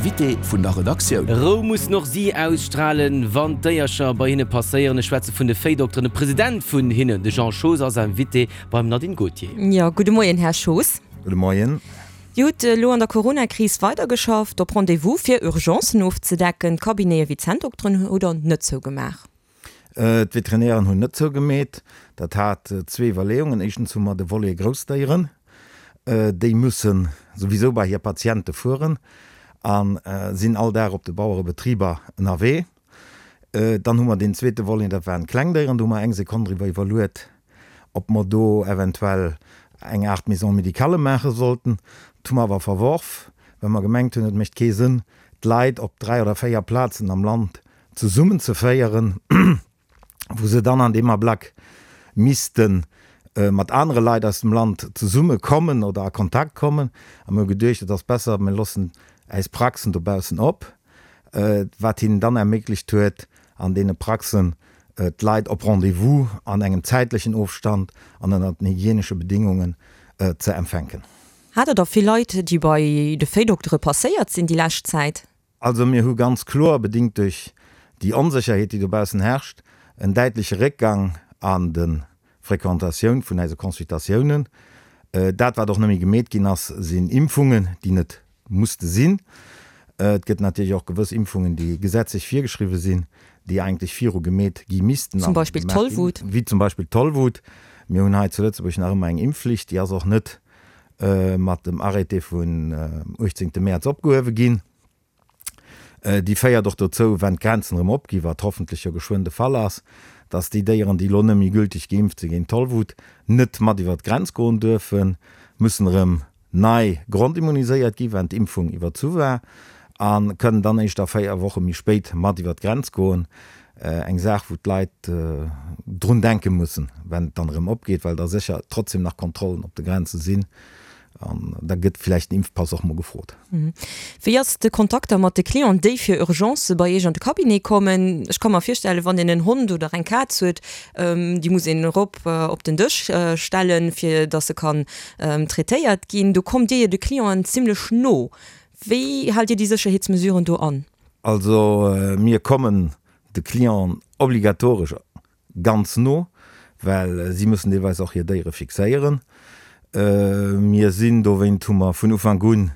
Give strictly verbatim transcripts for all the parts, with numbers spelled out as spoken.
Invité vun der Redaktioun. Rou mussen och si ausstralen, wann d'Déiercher bei hinne passéieren. Ech schwätze vun de Véidokteren. De President vun hinnen, de Jean Schoos, ass Invité beim Nadine Gautier. Jo, gudde Moien, Här Schoos. Gudde Moien. Dir hutt elo an der Coronakris weidergeschafft, op Rendez-vous, fir Urgencen ofzedecken. D'Cabinete wéi d'Zänndokteren hutt Der net zougemaach? D'Veterinären hunn net zougemeet. Dat hat zwee Iwwerleeungen. Éischtens hu mer de Volet Groussdéieren. Déi musse souwisou bei hir Patiente fueren a sinn all Dag op de Bauerebetriber ënnerwee. Dann hu mer deen zweete Volet, dat waren d'Klengdéieren. Do hu mer eng Sekonn driwwer iwwerluet, ob mer do eventuell eng Aart Maison médicale maache sollten. Dat hu mer awer verworf, well mer gemengt hunn, et mécht kee Sënn, d'Leit op dräi oder véier Plazen am Land zesummenzeféieren, wou se dann an deem Ablack misste mat anere Leit aus dem Land zesummekommen oder a Kontakt kommen. A mir hu geduecht, et ass besser, mir loossen äis Praxen dobaussen op, wat hinnen dann erméiglecht huet, an deene Praxen d'Leit op Rendez-vous an engem zäitlechen Ofstand an ënner den hygienesche Bedingungen ze empfänken. Hat Der da vill Leit, déi bei de Véidoktere passéiert sinn déi lescht Zäit? Also mir hu ganz kloer, bedingt duerch déi Onsécherheet, déi dobaussen herrscht, en däitleche Réckgang an de Fréquentatioun vun eise Consultatiounen. Dat, wat och net méi gemeet ginn ass, sinn Impfungen, déi net musste sinn. Et gëtt natierlech och gewëss Impfungen, déi gesetzlech virgeschriwwe sinn, déi eigentlech viru gemeet gi missten. Zum Beispill d'Tollwut. Wéi zum Beispill d'Tollwut. Mir hunn hei zu Lëtzebuerg nach ëmmer eng Impfflicht, déi ass och net mat dem Arrêté vun uechtzéngte Mäerz opgehuewe ginn. Déi féiert och dozou, wenn d'Grenzen erëm opginn, wat hoffentlech jo geschwënn de Fall ass, dass déi Déieren, déi elo net méi gülteg geimpft si géint d'Tollwut, net mat iwwer d'Grenz goen duerfen, mussen erëm nei grondimmuniséiert ginn, wenn d'Impfung iwwerzu war, a kënnen dann éischt a véier Woche méi spéit mat iwwer d'Grenz goen. Eng Saach, wou d'Leit drun denke mussen, wenn et dann erëm opgeet, well da sécher trotzdem nach Kontrollen op de Grenze sinn. An da gëtt vläicht den Impfpass och mol gefrot. Wéi ass de Kontakt da mat de Clienten, déi fir Urgencë bei Iech an de Cabinet kommen? Ech ka mer virstellen, wann een en Hond oder eng Kaz huet, déi muss een erop op den Dësch stellen, fir datt se kann traitéiert ginn. Do kommt Dir jo de Clienten zimlech no. Wéi haalt Dir déi Sécherheetsmesuren do an? Also mir kommen de Clienten obligatoresch ganz no, well si mussen deelweis och hir Déiere fixéieren. Mir sinn, dowéint hu mer vun Ufank u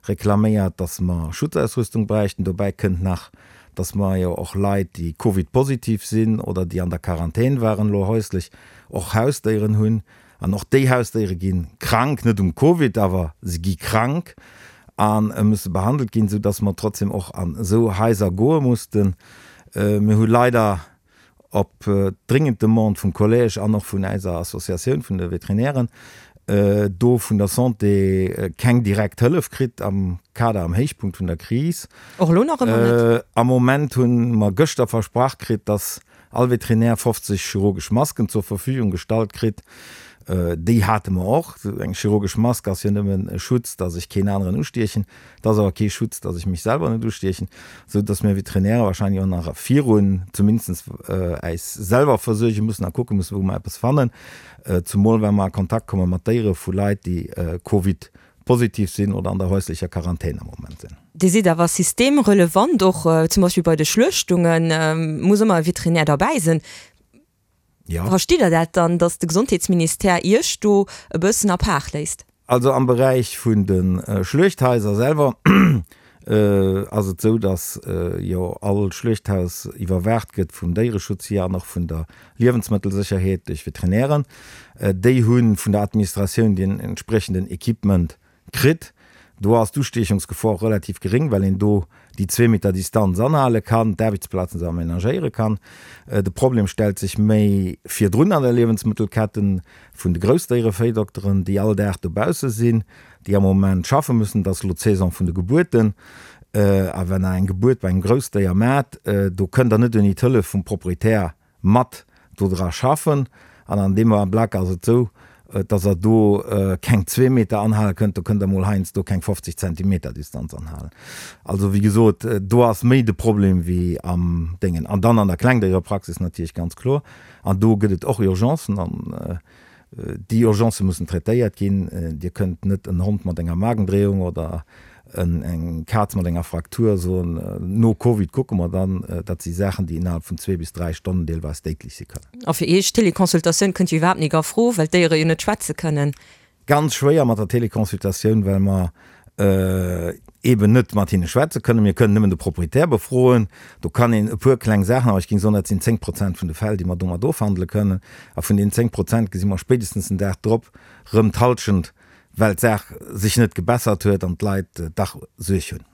reklaméiert, dass mer Schutzausrüstung bräichten. Dobäi kënnt nach, dass mer jo och Leit, déi Covid-positiv sinn oder déi an der Quarantän waren elo häuslech, och Hausdéieren hunn. An och déi Hausdéiere gi krank, net um Covid, awer se gi krank a musse behandelt ginn, soudass mer trotzdem och an esou Haiser goe mussten. Mir hu leider op dringend Demande vum Collège an och vun eiser Associatioun vun de Veterinären do vun der Santé keng direkt Hëllef kritt am Kader, am Héichpunkt vun der Kris. Och elo nach ëmmer net? Am Moment hu mer gëschter versprach kritt, dass all Veterinär fofzeg chirurgesch Masken zur Verfügung gestallt kritt. Déi hate mer och. Eng chirurgesch Mask ass jo nëmmen e Schutz, dass ech keen aneren ustiechen. Et ass awer kee Schutz, dass ech mech selwer net ustiechen, esou dass mir Veterinäre wahrscheinlech och nach virun zumindest äis selwer versuerge mussen a kucke mussen, wou mer eppes fannen, zumol wa mer a Kontakt komme mat Déiere vu Leit, déi Covid-positiv sinn oder an der häuslecher Quarantän am Moment sinn. Dir sidd awer systemrelevant, och zum Beispill bei de Schluechtunge muss ëmmer e Veterinär derbäi sinn. Verstitt Der dat dann, datt de Gesondheetsministère Iech do e bëssen apaart léisst? Also am Beräich vun de Schluechthaiser selwer ass et esou, datt jo all Schluechthaus iwwerwaacht gëtt vum Déiereschutz hier an och vun der Liewensmëttelsécherheet duerch Veterinären. Déi hu vun der Administratioun deen entspriechenden Equipement kritt. Do ass d'Ustiechungsgefor relativ geréng, well een do déi zwee Meter Distanz anhale kann, d'Aarbechtsplazen se amenagéiere kann. De Problem stellt sech méi virdrun an der Liewensmëttelketten vun de Groussdéierevéidokteren, déi all Dag dobausse sinn, déi am Moment schaffe müssen. Et ass elo d'Saison vun de Gebuerten. A wenn Der eng Gebuert bei engem Groussdéier maacht, do kënnt Der net ouni d'Hëllef vum Proprietär mat do dra schaffen. An an deem Ablack ass et esou, dass Der do keng zwee Meter anhale kënnt, do kënnt Der mol heiansdo keng fofzeg Zentimeter Distanz anhalen. Also wéi gesot, do ass méi de Problem wéi am Déngen. An dann an der Klengdéierepraxis natierlech ganz kloer. An do gëtt et och Urgencen an déi Urgencë mussen traitéiert ginn. Dir kënnt net en Hond mat enger Magendréiung oder eng Kaz mat enger Fraktur soen, no Covid kucke mer dann. Dat si Saachen, déi innerhalb vun zwee bis dräi Stonnen deelweis déidlech si kënnen. A fir Iech, Teleconsultatioun kënnt jo iwwerhaapt nik a Fro, well d'Déiere jo net schwätze kënnen. Ganz schwéier mat der Teleconsultatioun, well mer eeben net mat hinne schwätze kënnen. Mir kënnen nëmmen de Proprietär befroen. Do kann een e puer kleng Saachen, awer ech géing soen, dat sinn zéng Prozent vun de Fäll, déi mer domat ofhandele kënnen. A vun deenen zéng Prozent gesi mer spéitestens den Dag drop rëm d'Hallschent, well d'Saach sech net gebessert huet an d'Leit dach Suerg hunn.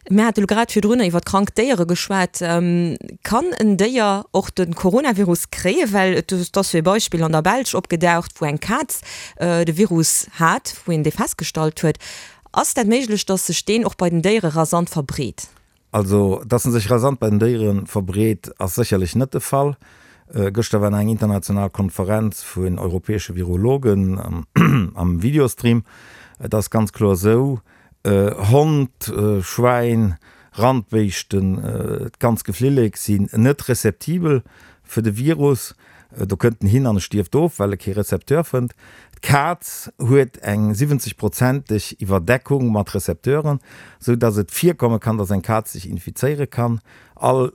Mir hate lo grad virdrunner iwwer krank Déiere geschwat. Kann en Déier och de Coronavirus kréien? Well et ass jo e Beispill an der Belsch opgedaucht, wou eng Kaz de Virus hat, wou een dee festgestallt huet. Ass dat méiglech, datt sech deen och bei den Déiere rasant verbreet? Also, datt en sech rasant bei den Déiere verbreet, ass sécherlech net de Fall. Gëschter war nach eng international Konferenz vun europäesche Virologen am Videostream. Et ass ganz kloer esou, Hond, Schwäin, Randbéischten, d'ganz Geflillek sinn net receptibel fir de Virus. Do kënnt en hin an e stierft of, well e kee Recepteur fënnt. D'Kaz huet eng siwwenzeg prozenteg Iwwerdeckung mat Recepteuren, sou datt et virkomme kann, datt eng Kaz sech infizéiere kann. All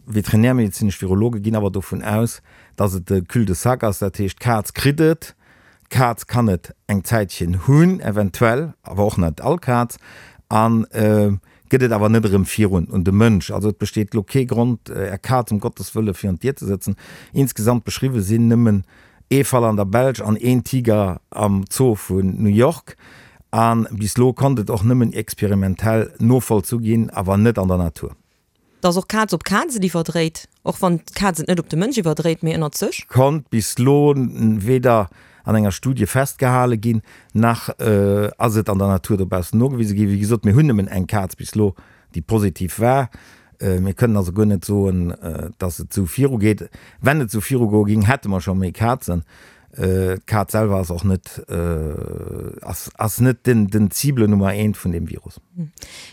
veterinärmedezinesch Virologe ginn awer dovun aus, datt et e Cul-de-sac ass, dat heescht d'Kaz kritt et, D'Kaz kann et eng Zäitchen hunn, eventuell, awer och net all Kaz, a gëtt et awer net erëm virun un de Mënsch. Also et besteet elo kee Grond, Är Kaz um Gottes Wëlle virun d'Dier ze sëtzen. Insgesamt beschriwwe sinn nëmmen ee Fall an der Belsch an een Tiger am Zoo vun New York. A bis elo konnt et och nëmmen experimentell novollzu ginn, awer net an der Natur. Dass och Kaz op Kaz et iwwerdréit, och wann d'Kaz et net op de Mënsch iwwerdréit, mee ënnert sech? Konnt bis elo weder an enger Studie festgehale ginn, nach ass et an der Natur dobaussen nogewise ginn. Wéi gesot, mir hunn nëmmen eng Kaz bis elo, déi positiv war. Mir kënnen also guer net soen, dass et esou virugeet. Wenn et esou virugoe géing, hätte mer scho méi Kazen. D'Kaz selwer ass och net, ass, ass net den, den Cible Nummer eent vun deem Virus.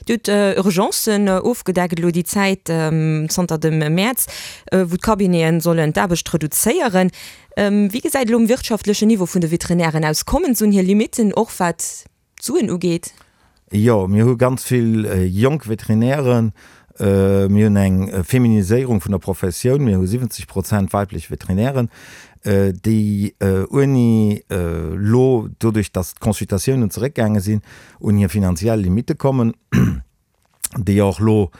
Dir hutt Urgencen ofgedeckt elo déi Zäit zanter dem Mäerz, wou d'Cabineten sollen d'Aarbecht reduzéieren. Wéi gesäit elo um wirtschaftlechen Niveau vun de Veterinären aus? Kommen se un hir Limitten, och wat d'Suen ugeet? Jo, mir hu ganz vill jonk Veterinären. Mir hunn eng Feminiséierung vun der Professioun. Mir hu siwwenzeg Prozent weiblech Veterinären, déi ouni elo, doduerch datt d'Consultatiounen zeréckgaange sinn, un hir finanziell Limitte kommen, déi och elo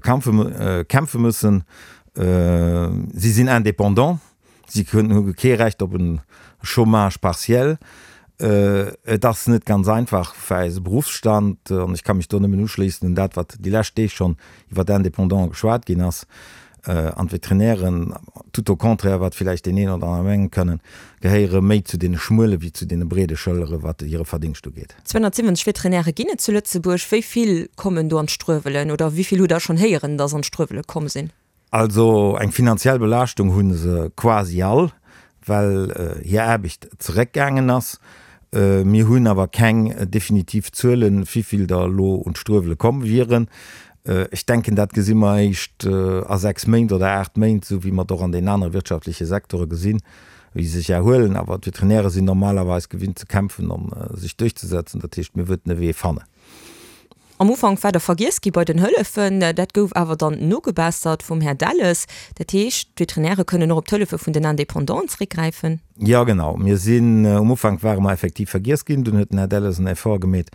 kämpfe mussen. Si sinn indépendant. Si hu kee Recht op e Chômage partiel. Et ass net ganz einfach fir eise Beruffsstand, an ech ka mech do nëmmen uschléissen un dat, wat déi lescht Deeg schonn iwwer d'Indépendants geschwat ginn ass, an d'Veterinären, tout au contraire wat villäicht deen een oder aner menge kënnen, gehéiere méi zu deene schmuele wéi zu deene breede Schëllere wat hire Verdingscht ugeet. zweehunnertsiwwenzeg Veterinäre ginn et zu Lëtzebuerg. Wéi vill kommen do an d'Struewelen oder wéi vill hutt Der schonn héieren, datt an d'Struewele komm sinn? Also eng finanziell Belaaschtung hu se quasi all, well hir Aarbecht zeréckgaangen ass. Mir hunn awer keng definitiv Zuelen, wivill der elo un d'Struewele komm wieren. Ech denken, dat gesi mer eréischt a sechs Méint oder aacht Méint, esou wéi mer et och an den anere wirtschaftleche Secteure gesinn, wéi se sech erhuelen. Awer d'Veterinäre sinn normalerweis gewinnt ze kämpfen a sech duerchzesetzen. Dat heescht, mir wëerten e Wee fannen. Am Ufank war der vergiess gi bei den Hëllefen. Dat gouf awer dann nogebessert vum Här Delles. Dat heescht, d'Veterinäre kënnen och op d'Hëllefe vun den Indépendanten zeréckgräifen? Jo, genau. Mir sinn, um Ufank ware mer effektiv vergiess ginn. Dunn huet den Här Delles en Effort gemeet,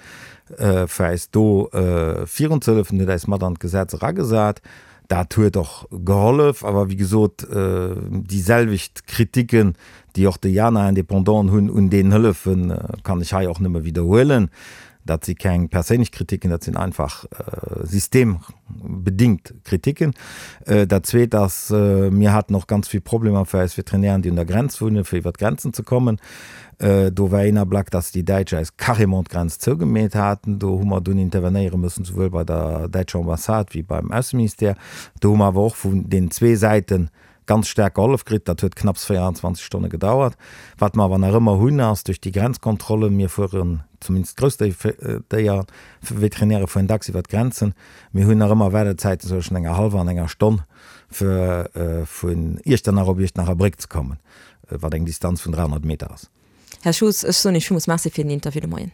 fir äis do virunzehëllefen, huet äis mat an d'Gesetz eragesat. Dat huet och gehollef. Awer wéi gesot, déi selwecht Kritiken, déi och déi aner Indépendanten hunn un deenen Hëllefen, kann ech hei och nëmme widderhuelen. Dat si keng perséinlech Kritiken, dat sinn einfach systembedingt Kritiken. Dat Zweet ass, mir haten och ganz vill Problemer fir eis Veterinären, déi un der Grenz wunnen, fir iwwer d'Grenzen ze kommen. Do war een Ablack, dass déi Däitsch eis carrément d'Grenz zougemeet haten. Do hu mer dunn intervenéiere müssen, souwuel bei der däitscher Ambassade wéi beim Ausseministère. Do hu mer awer och vun den zwee Säite ganz staark gehollef kritt. Dat huet knapps véierundzwanzeg Stonne gedauert. Wat mer awer nach ëmmer hunn, ass duerch déi Grenzkontrollen, mir fueren, zumindest d'Groussdéierveterinäre fueren dacks iwwer d'Grenzen, mir hunn nach ëmmer Waardezäiten zwëschen enger hallwer an enger Stonn, fir vun Iechternach op Iechternacherbréck ze kommen, wat eng Distanz vun dräihonnert Meter ass. Här Schoos, ech soen Iech villmools Merci fir den Interview de Moien.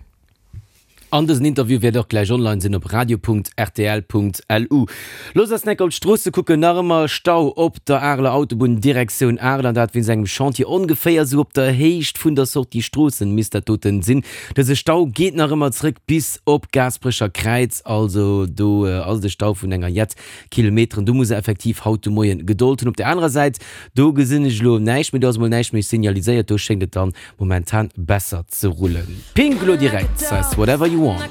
An dësen Interview wäert och gläich online sinn op radio.rtl.lu. Looss eis enk op d'Stroosse kucken, nach ëmmer Stau op der Areler Autobunn Direktioun Arel, an dat wéinst engem Chantier ongeféier esou op der Héicht vun der Sortie Stroossen misst dat doten sinn. Dëse Stau geet nach ëmmer zréck bis op Gaasperecher Kräiz, also do ass et e Stau vun enger jett Kilometeren. Do muss e effektiv haut de Moien Gedold hunn. Op der anerer Säit, do gesinn ech elo näischt méi, do ass emol näischt méi signaliséiert, do schéngt et dann momentan besser ze rullen. Pink elo direkt, Whatever You Want.